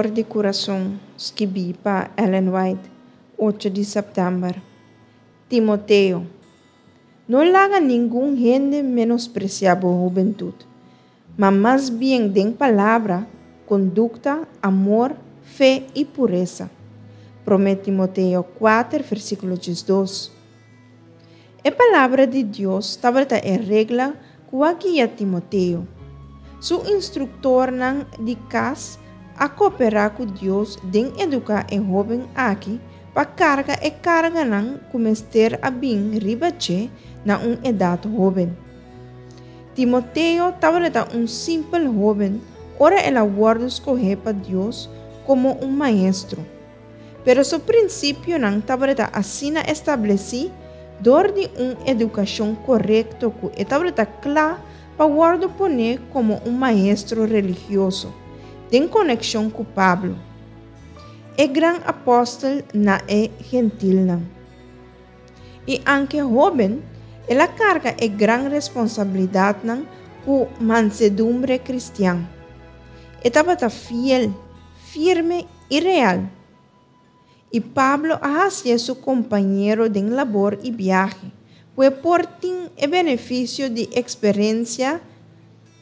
For di Kurason, skibí pa Ellen White, ocho di sèptèmber. Timoteo, No laga ningun hende menospresiá bo hubentut, ma mas bien den palabra, kondukta, amor, fe i puresa. Promé Timoteo kuater, versíkulo diesdos. E Palabra di Dios tabata e regla ku a guia Timoteo. Su instruktornan di kas a koperá ku Dios den eduká e hóben aki pa karga e karganan ku mester a bin riba dje na un edat hóben. Timoteo tabata un simpel hóben ora el a wòrdu skohé pa Dios komo un maestro. Pero su prinsipionan tabata asina establesí dor di un edukashon korekto ku e tabata kla pa wòrdu poné komo un maestro religioso, den konekshon ku Pablo, e gran apòstel na e gentilnan. I anke hóben, el a karga e gran responsabilidatnan ku mansedumbre kristian. E tabata fiel, firme i real. I Pablo a hasié su kompañero den labor i biahe, ku e por tin e benefisio di eksperensia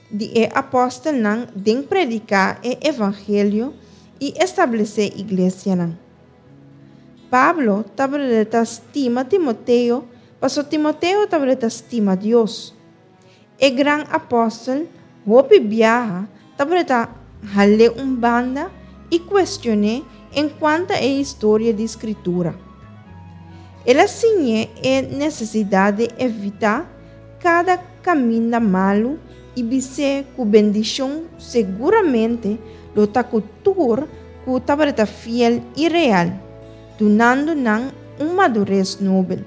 di e apòstelnan den prediká e evangelio i establesé iglesianan. Pablo tabata stima Timoteo pasobra Timoteo tabata stima Dios. E gran apòstel hopi biaha tabata hal'é un banda i kuestion'é enkuanto e historia di Skritura. El a siñ'é e nesesidat di evitá kada kaminda malu i bis'é ku bendishon seguramente lo ta ku tur ku tabata fiel i real, dunando nan un madures nobel.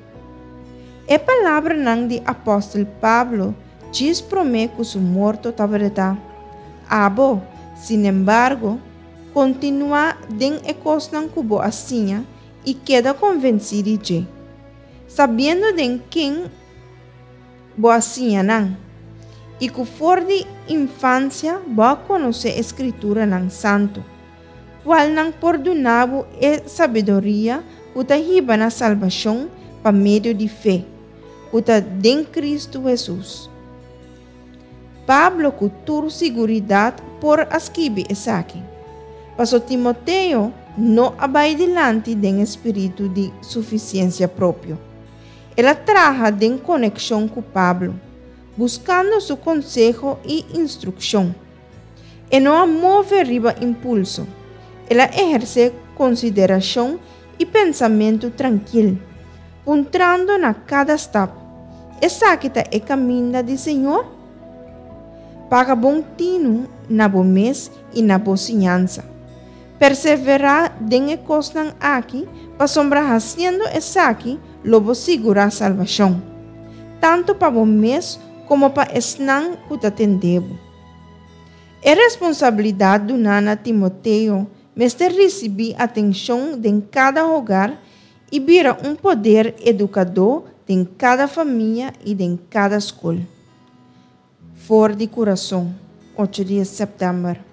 E palabranan di apòstel Pablo djis promé ku su morto tabata, Abo, sinembargo, kontinuá den e kosnan ku bo a siña i keda konvensí di dje, sabiendo den ken bo a siña nan, i ku for di infansia bo a konosé e Skrituranan Santu, kualnan por duna bo e sabiduria ku ta hiba na salbashon pa medio di fe, ku ta den Kristu Hesus. Pablo ku tur siguridat por a skibi esaki, paso Timoteo no a bai dilanti den e spiritu di sufisiensia propio. El a traha den konekshon ku Pablo, buskando su konseho i instrukshon. E no a move riba impulso, el a ehersé konsiderashon i pensamentu trankil, puntrando na kada stap, Esaki ta e kaminda di Señor? Paga bon tinu na bo mes i na bo siñansa. Perseverá den e kosnan aki, pasobra hasiendo esaki lo bo sigurá salbashon, tantu pa bo mes komo pa esnan ku ta tende bo. E responsabilidat duná na Timoteo mester risibí atenshon den kada hogar i bira un poder edukadó den kada famia i den kada skol. For di kurason, ocho di sèptèmber.